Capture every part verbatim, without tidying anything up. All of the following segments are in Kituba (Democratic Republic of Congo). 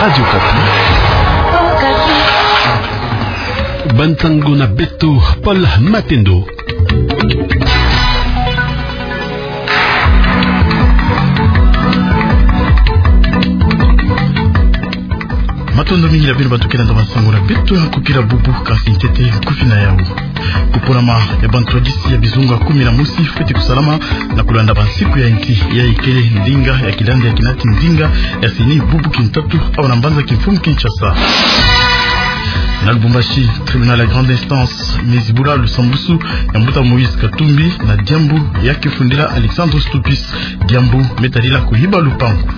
Radio Okapi. Ba ntangu na beto, Paul Matendo. Matondo mingi na bino bato ke landa ba nsangu na beto ya nkokila bubu, kasi ntete nkufi na yau. Kuponama ya bantwadisi ya bizunga kumi na mosi fweti kusalama na kulanda bansiku ya inti, yayi kele ndinga ya kilandi ya kinati ndinga ya CENI bubu kintatu awa na mbanza kimfumu Kinshasa. Na Lubumbashi, tribunal ya grande instance me zibula lusambusu ya mbuta Moïse Katumbi na diambu ya kifundila Alexandre Stupis, diambu me tadila kuhiba lupangu.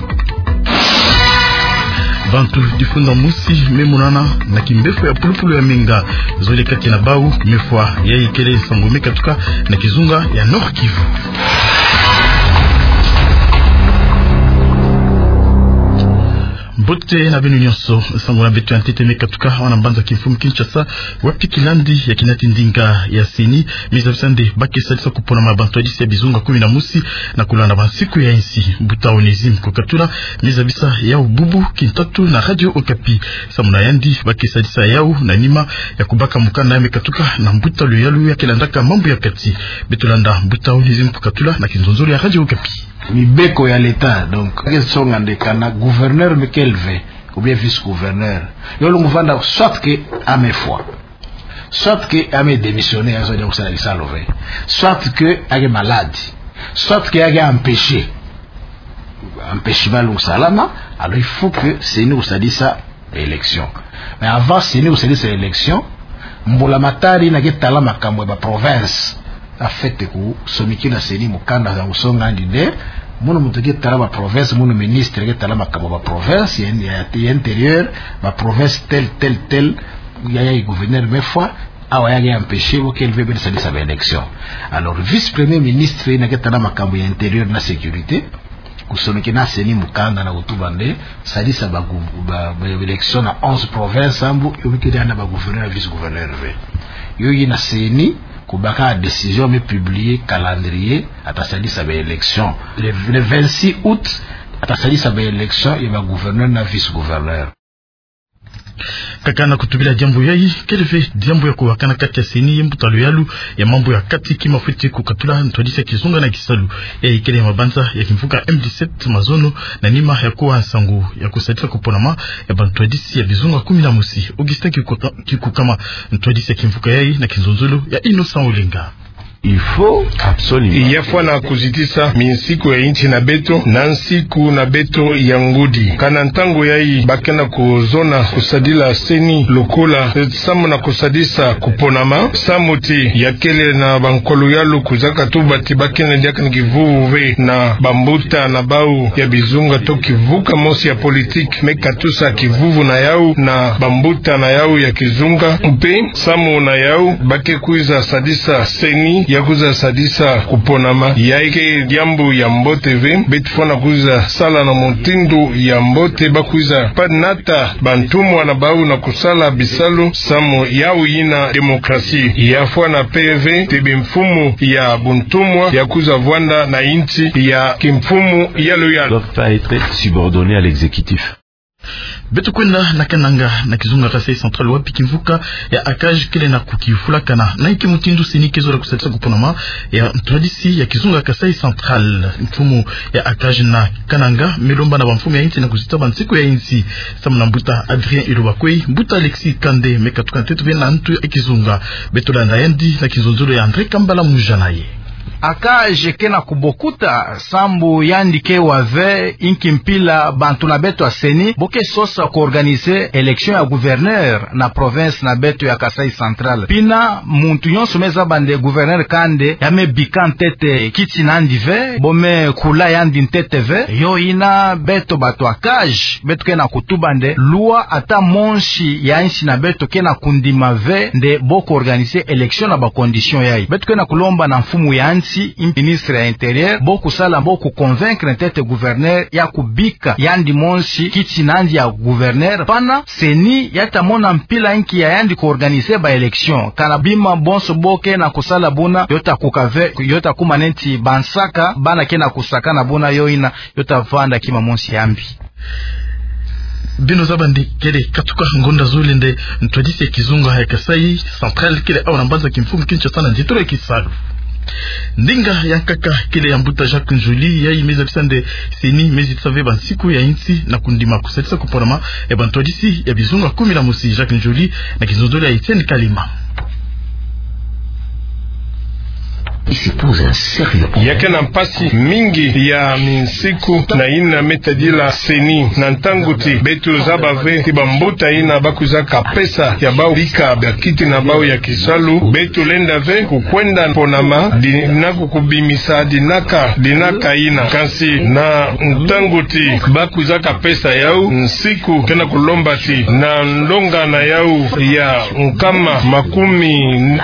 Bantu difunda mosi me monana na kimbefo ya pulupulu ya menga. Zole kati na bau me fwa, yayi kele nsangu me katuka na kizunga ya Nord-Kivu. Mbote na bino nyonso, nsangu na beto ya ntete me katuka awa na mbanza kimfumu Kinshasa, wapi kilandi ya kinati ndinga ya CENI me zabisa nde ba ke sadisa kuponama ya bantwadisi ya bizunga kumi na mosi na kulanda bansiku ya insi. Mbuta Onésime Kokatula me zabisa yau bubu kintatu na Radio Okapi. Samu na yandi, ba ke sadisa yau na nima ya kubaka mukanda ya me katuka na mbuta luyalu ya ke landaka mambu ya kati. Beto landa mbuta Onésime Kokatula na kinzonzolo ya Radio Okapi. Mibeko ya l'État, donc, ke songa nde kana gouverneur me kele ve, ou bien vice-gouverneur, yo lungu vanda soit que ame fwa, soit que ame démissionner, ya zo dia kusala kisalu ve, soit que ake malade, soit que ake empêché. Empêchement lungu salama, alors il faut que CENI kusadisa élection. Mais avant CENI kusadisa élection, mbulamatari yina ke tala makambu ya ba province, afwete kusomikila CENI mukanda ya kusonga yandi nde: Munu muntu ke tala ba province, munu ministre ke tala makambu ya ba province, ya, ya, ya intérieur, ba province tel, tel, tel, ya, yayi gouverneur me fwa, awa ya ke empêché, bo kele ve beno sadisa ba élection. Alors, vice-premier ministre yina ke tala makambu ya intérieur na sécurité, kusomikila CENI mukanda na kutuba nde sadisa ba gou-, ba, ba élection na onze provinces, sambu yo bikiri na ba gouverneur, vice-gouverneur ve. Yo yina CENI kubaka décision me publier calendrier, ata sadisa ba élection. Le, le vingt-six août, ata sadisa ba élection ya ba gouverneur na vice-gouverneur. Kaka na kutubila diambu yayi, kele ve diambu ya kuwakana kati ya CENI ye mbuta luyalu ya mambu ya kati, kima fweti kukatula ntwadisi ya kizunga na kisalu. Yayi kele ya mabanza ya kimvuka M dix-sept mazono, na nima ya kuwa nsangu ya kusadisa kuponama ya bantwadisi ya bizunga kumi na mosi. Augustin Kikuka-, Kikukama, ntwadisi ya kimvuka yayi na kinzonzolo ya Innocent Olenga. Il faut absolument. Ya fwana kuzitisa minsiku ya insi na beto na nsiku na beto ya ngudi. Kana ntangu yayi ba ke na kuzona kusadila CENI lokola, eh, samu na kusadisa kuponama, samu ti ya kele na bankwa luyalu kuzaka tuba ti ba ke na diaka na kivuvu ve na bambuta na bau ya bizunga to kivuka mosi ya politique me katusa kivuvu na yau na bambuta na yau ya kizunga, mpe samu na yau ba ke kwiza sadisa CENI ya kwiza sadisa kuponama. Yayi ke diambu ya mbote ve, beto fwana kwiza sala na mutindu ya mbote, ba kwiza pa nata bantumwa na bau na kusala bisalu, samu yau yina démocratie. Ya fwana mpe ve ti bimfumu ya buntumwa ya kwiza vwanda na insi ya kimfumu ya luyalu. Doivent pas être subordonnés à l'exécutif. Beto kwenda na Kananga, na kizunga Kasaï Central, wapi kimvuka ya ACAJ kele na kukifulakana na inki mutindu CENI ke zola kusadisa kuponama ya ntwadisi ya kizunga Kasaï Central. Mfumu ya ACAJ na Kananga me lomba na bamfumu ya insi na kuzita bansiku ya insi samu na mbuta Adrien Ilobakwei, mbuta Alexis Kande me katuka ntete ve na ntu ya kizunga. Beto landa yandi na kinzonzolo ya André Kambala Mujanaye. ACAJ ke na kubokuta sambu yandi ke wa ve inki mpila bantu na beto ya CENI bo ke sosa ku organiser élection ya gouverneur na province na beto ya Kasaï Central. Pina muntu nyonso me zaba nde gouverneur Kande ya me bika ntete kiti nandi ve, bo me kula yandi ntete ve. Yo yina beto bato ya ACAJ beto ke na kutuba nde loi ata mosi ya insi na beto ke na kundima ve nde bo ku organiser élection na ba condition yayi. Beto ke na kulomba na mfumu ya insi, ministre ya intérieur, bo kusala, bo ku convaincre ntete gouverneur ya kubika yandi mosi kiti nandi ya gouverneur, pana CENI ya ta mona mpila inki ya yandi ku organiser ba élection. Kana bima bonso bo ke na kusala buna, yo ta kuka ve, yo ta kuma neti bansaka, bana ke na kusakana buna, yo yina yo ta vanda kima mosi ya mbi. Beno zaba nde kele katuka ngonda zole nde ntwadisi ya kizunga ya Kasaï Central kele awa na mbanza kimfumu Kinshasa na nzitolo ya kisalu. Ndinga ya nkaka kele ya mbuta Jacques Nzoli, yayi me zabisa nde CENI me zitisa ve bansiku ya insi na kundima kusalisa kuponama ya bantwadisi ya bizunga kumi na mosi. Jacques Nzoli na kizonzolo ya Etienne Kalima. Il se pose un sérieux problème. Ya ke na mpasi mingi ya minsiku na yina me tadila CENI, na ntangu ti beto zaba ve ti bambuta yina ba kwizaka pesa ya bau bika bakiti na bau ya kisalu, beto lenda ve kukwenda ponama di-, na kukubimisa dinaka, dinaka yina. Kansi na ntangu ti ba kwizaka pesa yau, nsiku ke na kulomba ti na ndonga na yau ya nkama makumi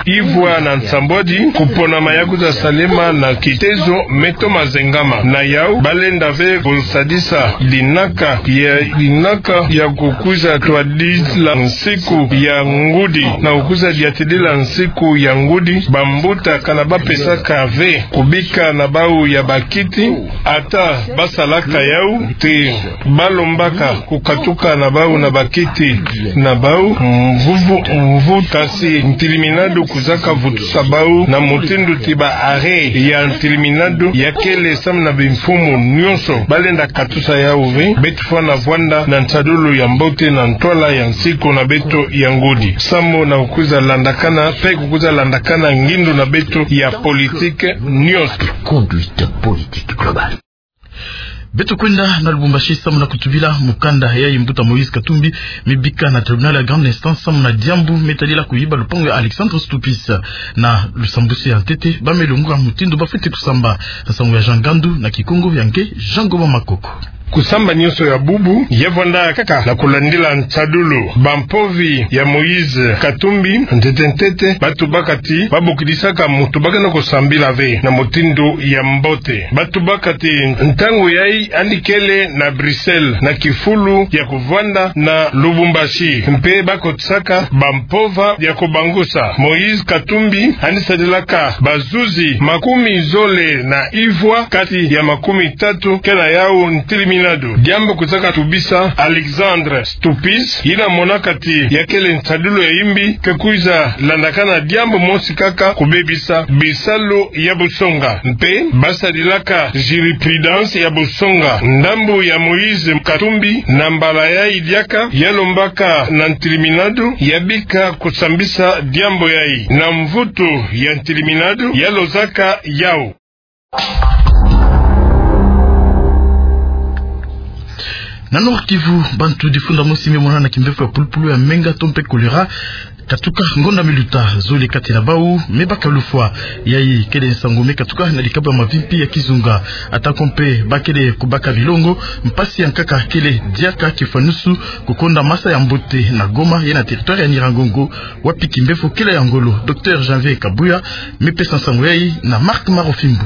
ivwa na nsambwadi, kuponama ya kwiza salema na kitezo me toma zengama. Na yau, ba lenda ve kusadisa dinaka ya, dinaka ya kukwiza twadila nsiku ya ngudi, na kukwiza diatidila nsiku ya ngudi, bambuta kana ba pesaka ve kubika na bau ya bakiti, ata ba salaka yau, ti ba lombaka kukatuka na bau na bakiti na bau mvuvu mvuvu. Kansi ntiliminado kwizaka vutusa bau na mutindu ti ba arrêt ya ntiliminado ya kele samu na bimfumu nyonso. Ba lenda katusa yau ve, beto fwana vwanda na nsadulu ya mbote na ntwala ya nsiku na beto ya ngudi, samu na kukwiza landakana, mpe kukwiza landakana ngindu na beto ya politique nyonso. Conduite politique globale. Beto kwenda na Lubumbashi samu na kutubila mukanda yayi mbuta Moïse Katumbi me bika na tribunal ya grande instance samu na diambu me tadila kuyiba lupangu ya Alexandre Stupis. Na lusambwisi ya ntete, ba me lunguka mutindu ba fweti kusamba. Nsangu ya Jean Ngandu, na Kikongo ya nge Jean Ngoma Makoko. Kusamba nyonso ya bubu ya vwanda kaka na kulandila nsadulu. Bampovi ya Moïse Katumbi, ntete ntete, ba tubaka ti ba bokidisaka mutu ba ke na kusambila ve na mutindu ya mbote. Ba tubaka ti ntangu yayi yandi kele na Bruxelles na kifulu ya kuvwanda na Lubumbashi, mpe ba kotisaka bampova ya kubangusa. Moïse Katumbi yandi sadilaka bazuzi makumi zole na ivwa, kati ya makumi tatu ke na yau ntiliminado. Diambu kwizaka tubisa Alexandre Stupis, yina monaka ti ya kele nsadulu ya yimbi, ke kwiza landakana diambu mosi kaka, kubebisa bisalu ya busonga. Mpe ba sadilaka jurisprudence ya busonga. Ndambu ya Moïse Katumbi, na mbala yayi diaka, ya lombaka na ntiliminado ya bika kusambisa diambu yayi. Na mvutu ya ntiliminado ya lozaka yau. Na Nord-Kivu, bantu difunda mosi me monana na kimbevo ya pulupulu ya menga to mpe choléra, katuka ngonda me luta. Zole kati na bau me baka lufwa. Yayi kele nsangu me katuka na dikabu ya mavimpi ya kizunga. Atako mpe ba kele kubaka bilongo, mpasi ya nkaka kele diaka kifwanusu kukonda masa ya mbote na Goma ye na territoire ya Nyiragongo, wapi kimbevo kele ya ngolo. Docteur Janvier Kabuya me pesa nsangu yayi na Marc Marofimbo.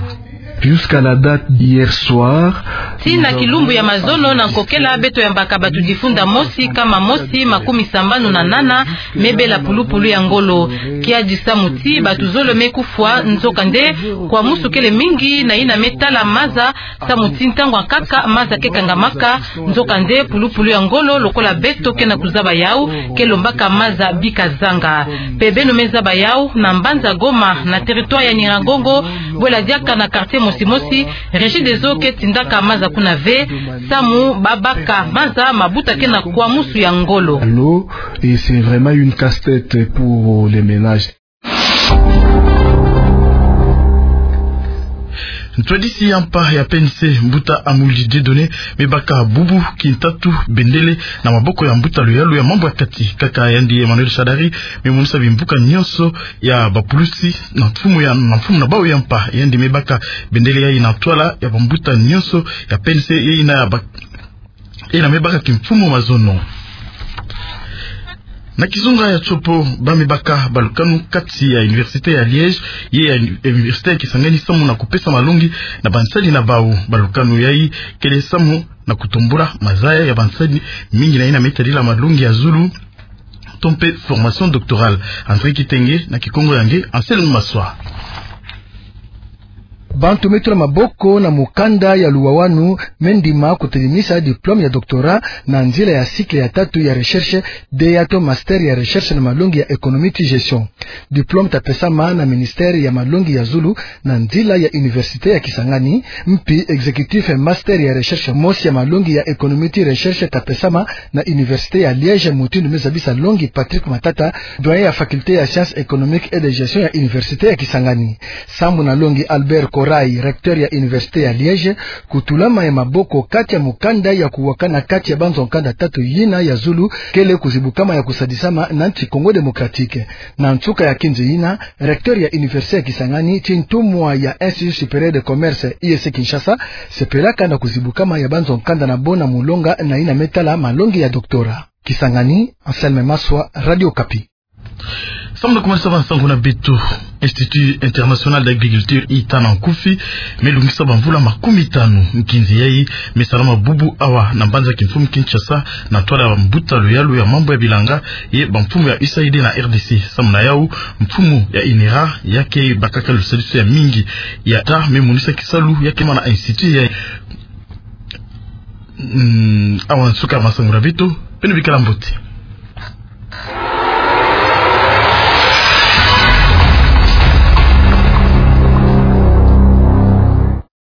Jusqu'à la date d'hier soir, tii na kilumbu ya mazono na nkokela, beto yambaka bantu difunda mosi, kama mosi, makumi sambanu na nana, me bela pulupulu ya ngolo. Kiadi samu ti bantu zole me kufwa, nzokande kwamusu kele mingi na yina me tala maza, samu ti ntangu ya nkaka maza ke kangamaka, nzokande pulupulu ya ngolo lokola beto ke na kuzaba yau, ke lombaka maza bika zanga. Mpe beno me zaba yau, na mbanza Goma, na territoire ya Nyiragongo, bwela diaka na quartier mosi mosi, Regideso ke tindaka maza kuna ve, samu ba baka maza, mabuta ke na kwamusu ya ngolo. L'eau, et c'est vraiment une casse-tête pour les ménages. Ntwadisi ya mpa ya P N C, mbuta Amuli Dieudonné, me baka bubu kintatu bendele na maboko ya mbuta luyalu ya mambu ya kati. Kaka yandi Emmanuel Shadary me monisa bimvuka nyonso ya bapulusi na mfumu ya, na mfumu na bau ya mpa. Yandi me baka bendele yayi na ntwala ya bambuta nyonso ya P N C, yayi na ya ba-, yayi na me baka kimfumu mazono. Na kizunga ya Tshopo, ba me baka balukanu kati ya Université ya Liège ye ya Université ya Kisangani samu na kupesa malongi na bansadi na bau. Balukanu yayi kele samu na kutombula mazaya ya bansadi mingi na yina me tadila malongi ya zulu to mpe formation doctorale. André Kitenge, na Kikongo ya nge Anselme Maswa. Bantu me tula maboko na mukanda ya luwawanu me ndima kutelimisa diplôme ya doctorat na nzila ya cycle ya tatu ya recherche, de yato master ya recherche na malongi ya économie ti gestion. Diplôme ta pesama na ministère ya malongi ya zulu na nzila ya université ya Kisangani, mpi exécutif master ya recherche mosi ya malongi ya économie ti recherche ta pesama na université ya Liège, mutindu me zabisa longi Patrick Matata, doyen ya faculté ya sciences économiques et de gestion ya université ya Kisangani. Sambu na longi Albert Corail, recteur ya université ya Liège, kutulama ya maboko kati ya mukanda ya kuwakana kati ya banzo nkanda tatu yina ya zulu kele kuzibukama ya kusadisama na nti Congo Démocratique. Na nsuka ya kinzi yina, recteur ya université ya Kisangani, ti ntumwa ya Institut Supérieur de Commerce, I S C Kinshasa, sepelaka na kuzibukama ya banzo nkanda na bo na mulonga na yina me tala malongi ya doctorat. Kisangani, Anselme Maswa, Radio Okapi. Samu na kumanisa bansangu na beto, Institut International d'Agriculture, I T A, na nkufi, me lungisa bamvula makumitanu nkinzi yayi me salama bubu awa na mbanza kimfumu Kinshasa, na ntwala ya mbuta luyalu ya mambu ya bilanga ye bamfumu ya U S A I D na R D C. Samu na yau, mfumu ya INERA, ya ke bakaka lusadisu ya mingi ya I T A, me monisa kisalu ya ke ma na institut yayi. Mm, awa nsuka masangu na beto, beno bikala mbote.